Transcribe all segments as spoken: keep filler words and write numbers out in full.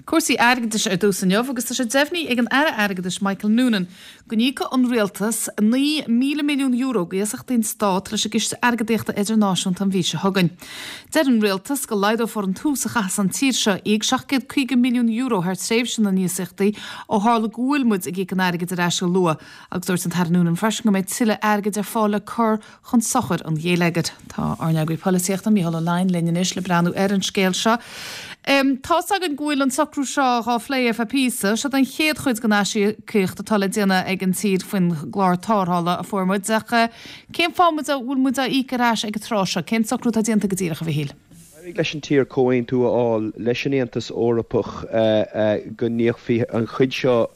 Cúrsaí airgeadais ar dtús inniu agus tá sé deimhnithe ag an Aire Airgeadais Michael Noonan go n-íocfaidh an rialtas naoi míle milliún euro d'iasachtaí an Stát leis an gCiste Airgeadaíochta Idirnáisiúnta an mhí seo chugainn. Deir an rialtas go laghdófar an t-ús a chaithfeas an tír seo íoc seacht gcéad caoga milliún euro thar tréimhse na n-iasachtaí ó tharla go bhfuil muid ag íoc an airgid ar ais go luath agus dúirt an tAire Noonan freisin go mbeidh tuilleadh airgid ar fáil le cur chun sochair an gheilleagair. Tá ár n-eagraí polaitíochta Mícheál Ó Leidhin linn anois le breathnú ar an scéal seo. Um, Tá's againn go bhfuil an socrú seo á phlé ar feadh píosa, seo an chéad chuid den aisíocaíocht atá le déanamh ag an tír faoin gclár tarrthála a fuair muid ach eh, cén fáth muid a bhfuil muid á íoc ar ais ag an tráth seo, cén socrú atá déanta go díreach a Mhichíl? D'éirigh leis an tír comhaontú a fháil leis an Aontas Eorpach go n-íocfaí an chuid seo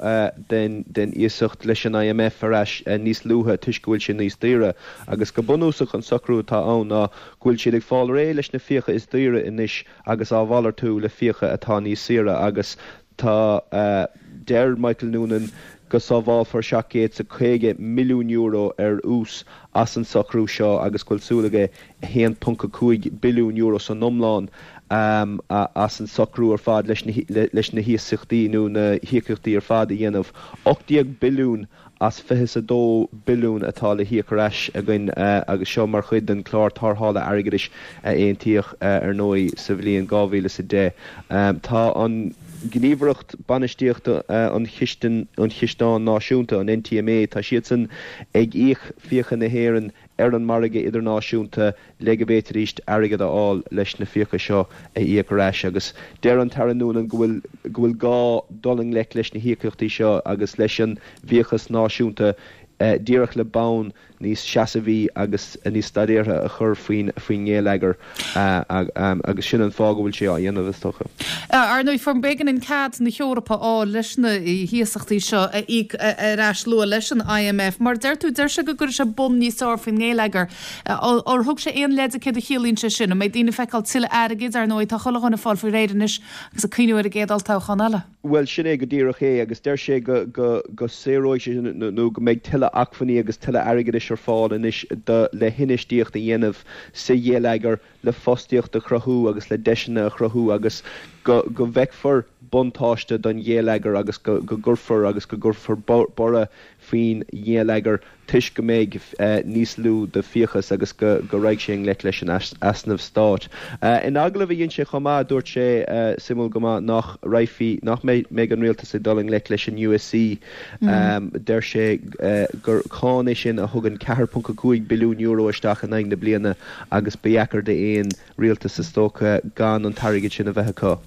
den den iasacht leis an I M F ar ais níos luaithe toisc go bhfuil sé níos daoire agus go bunúsach an socrú atá ann ná go bhfuil siad ag fáil réidh leis na fiacha is daoire anois agus á mhalartú le fiacha atá níos saoire agus tá deir Michael Noonan go sábhálfar seacht gcéad is caoga milliún euro ar ús as an socrú seo agus go bhfuil súil aige a haon ponc a cúig billiún euro san iomlán um, as an socrú ar fad leis na, leis na hiasachtaí nó na híocaíochtaí ar fad a dhéanamh. ocht déag billiún as fiche a dó billiún atá le híoc ar ais againn uh, agus seo mar chuid den chlár tarrthála airgeadais a aontaíodh uh, ar ndóigh sa bhliain dhá mhíle is a deich. Um, tá an Gníomhaireacht Bainistíochta uh, an Chistean an Chisteáin Náisiúnta, an N T M A, tá siadsan ag íoc fiacha na hÉireann ar an margadh idirnáisiúnta le go bhféadfaidís airgead a fháil leis na fiacha seo a íoc ar ais agus deir an tAire Noonan go bhfuil go bhfuil gá dul i ngleic leis na híocaíochtaí seo agus leis an bhfiachas náisiúnta uh, díreach le bonn níos seasamhaí agus níos staidéartha a chur faoin faoin ngeilleagar uh, um, agus sin an fáth go bhfuil sé á dhéanamh is dócha. Ar ndóigh fuair b'éigean an cead na hEorpa á leis na hiasachtaí seo a íoc ar ais luath leis an I M F, mar deir tú deir sé go gcuirfidh sé bonn níos fearr faoin ngeilleagar. Ar thug sé aon leide céard a chiallaíonn sé sin, an mbeidh daoine ag feiceáil tuilleadh airgid? Ar ndóigh tá chuile dhuine ag fáil faoi réir anois agus ag cuimhneamh ar an gcéad olltoghchán eile. Well, sin é go díreach é agus deir sé go go go saothróidh sé nó go mbeidh tuilleadh acmhainní agus tuilleadh airgeadais ar fáil anois le hinfheistíocht a dhéanamh sa gheilleagar, le fostaíocht a chruthú agus le deiseanna a chruthú agus go go bhfeicfear buntáiste don gheilleagar agus go go gcuirfear agus go gcuirfear borradh faoin gheilleagar toisc go mbeidh uh, níos lú de fiachas agus go go raghaidh sé i ngleic leis an easnamh stáit. Uh, in agallamh a dhein sé chomh maith, dúirt sé uh, suimiúil go maith nach raibh nach mbeidh an rialtas ag dul i ngleic leis an U S C. mm. um, deir sé uh, gur cáin é sin a thugann ceathair ponc cúig billiún euro isteach in aghaidh na bliana agus b'fhearr d'aon rialtas is dócha gan an t-airgead sin a bheith acu.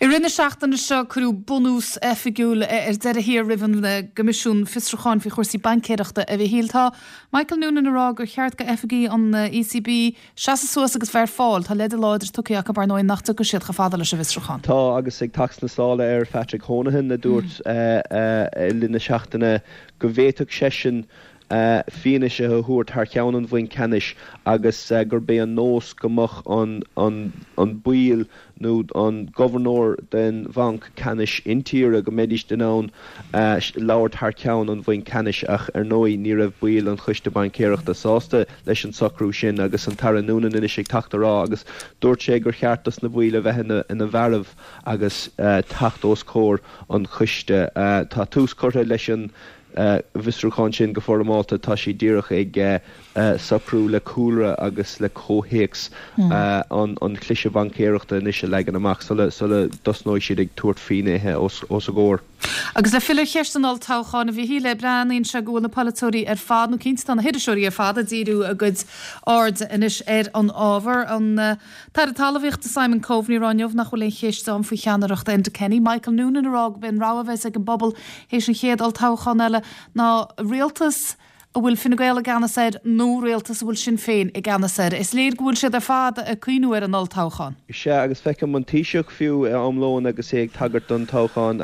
I rith na seachtaine seo cuireadh bunús oifigiúil ar deireadh thiar roimh an gCoimisiún Fiosrúcháin faoi chúrsaí baincéireachta, a Mhichíl. Tá Michael Noonan ag rá gur cheart go oifigigh an E C B seasamh suas agus bheith ar fáil. Tá leide láidir tugtha acu ar ndóigh nach dtiocfaidh siad chomh fada leis an bhfiosrúchán. Tá, agus ag teacht sna sála ar Patrick Honohan a dúirt mm. uh, uh, le na seachtaine go bhféadfadh seisean uh, fianaise a thabhairt thar ceann an Bhainc Ceannais agus uh, gurb é an nós go mbeadh an, an, an ball nó an gobharnóir den bhanc ceannais intíre go mbeidís in ann uh, labhairt thar ceann an bhainc ceannais, ach ar ndóigh ní raibh baill an choiste baincéireachta sásta leis an socrú sin agus an tAire Noonan anois ag teacht rá agus dúirt sé gur cheart dos na baill a bheith ina, ina bhfearaibh agus uh, teacht os comhair an choiste. uh, tá tús curtha leis an bhfiosrúchán sin go foirmeálta. Tá sí díreach ag uh, uh, socrú le cúlra agus le comhthéacs mm. uh, an, an chliseadh baincéireachta anois a leagan amach sula sula dtosnóidh siad ag tabhairt finnéithe os, os a gcomhair. Agus le filleadh ar cheist an olltoghcháin, a Mhichíl, breathnaíonn sé go bhfuil na polaiteoirí ar fad, nó cinnte tá na hiriseoirí ar fad ag díriú a gcuid aird anois ar an ábhar. An uh, tAire Talmhaíochta Simon Coveney ag rá inniu nach bhfuil aon cheist ann faoi cheannaireacht Enda Kenny. Michael Noonan ag rá gurb é an rogha a bheas ag an bpobal théis an chéad olltoghchán eile ná rialtas a bhfuil Fine Gael i gceannas air nó rialtas a bhfuil Sinn Féin i gceannas air. Is léir go bhfuil siad ar fad ag cuimhneamh ar an olltoghchán. Sea, agus feicim an Taoiseach fiú am lóin agus é ag tagairt don toghchán.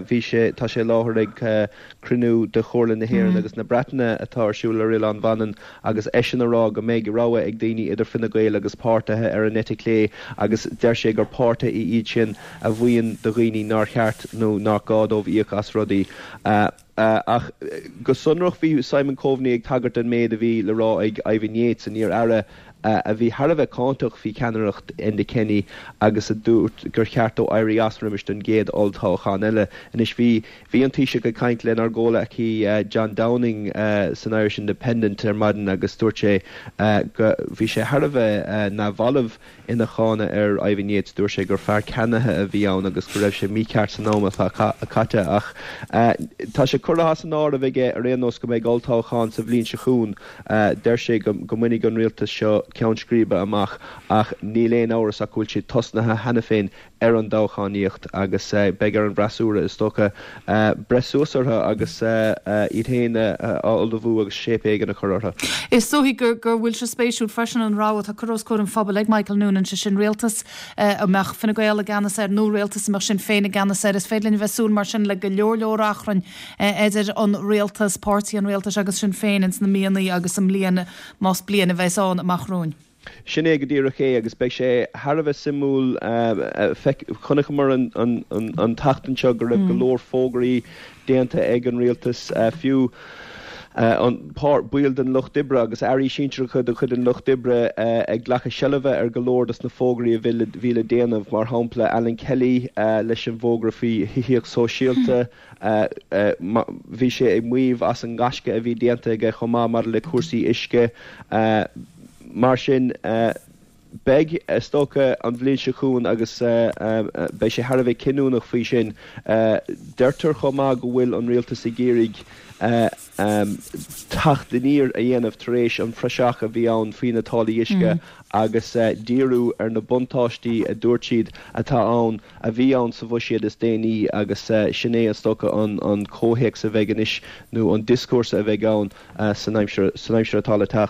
Bhí sé tá sé láthair ag cruinniú de Chomhairle na hÉireann mm. agus na Breataine atá ar siúl ar Oileán Mhanann agus eisean ag rá go mbeidh rogha ag daoine idir Fine Gael agus páirtithe ar an eite chlé agus deir sé gur páirtithe iad sin a mhaíonn do dhaoine nár cheart nó nach gá dóibh íoc as rudaí. Uh, Uh, ach go sonrach bhí Simon Coveney ag tagairt an méid a bhí le rá ag Ivan Yates, an iar-aire a bhí thar a bheith cáinteach faoi cheannaireacht Enda Kenny agus a dúirt gur cheart dó éirí as roimis don gcéad olltoghchán eile. Anois bhí bhí an Taoiseach ag caint lenár gcomhghleacaí John Downing san Irish Independent ar maidin agus dúirt sé go bhí sé thar a bheith neamhbhalbh ina cháineadh ar Ivan Yates, dúirt sé gur fear ceannaithe a bhí ann agus go raibh sé mícheart san am atá caite ach tá sé curtha as an áireamh aige ar aon nós go mbeidh olltoghchán sa bhliain seo chugainn. Deir sé go mbainfidh an rialtas seo ceann scríbe amach ach níl aon amhras ach go bhfuil siad tosnaithe cheana féin ar an dtoghchánaíocht agus beidh ar an bhfreasúra, is dócha, breith suas orthu agus iad féin a ullmhú agus shape éigin a chur orthu. Is dóigh gur go bhfuil sé spéisiúil freisin an rogha atá curtha os comhair an phobail ag Michael Noonan, sé sin rialtas a mbeadh Fine Gael i gceannas air nó rialtas a mbeadh Sinn Féin i gceannas air. Is féidir linn a bheith ag súil mar sin le go leor leor achrainn idir an rialtas, páirtí an rialtais agus Sinn Féin ins na míonna agus an mbliain, más bliain a bheas ann, amach romhainn. Sin é go díreach é agus beidh sé thar a bheith suimiúil. Chonaiceamar an tseachtain seo go raibh go leor fógraí déanta ag an rialtas, fiú an baill den Lucht Oibre agus airí sinsearacha de chuid an Lucht Oibre ag glacadh seilbhe ar go leor dos na fógraí a bhí le déanamh, mar shampla Alan Kelly leis an bhfógra faoi thithíocht sóisialta. Bhí sé ag maíomh as an ngaisce a bhí déanta aige chomh maith maidir le cúrsaí uisce. Mar sin, beidh, is dócha, an bhliain seo chugainn agus beidh sé thar a bheith cinniúnach faoi sin. Deirtear chomh maith go bhfuil an rialtas ag iarraidh teacht aniar a dhéanamh tar éis an phraiseach a bhí ann faoi na táillí uisce agus díriú ar na buntáistí a dúirt siad atá ann, a bhí ann sa bhuiséad is déanaí agus sin é, is dócha, an comhthéacs a bheidh anois nó an dioscúrsa a bheidh ann san aimsir atá le teacht.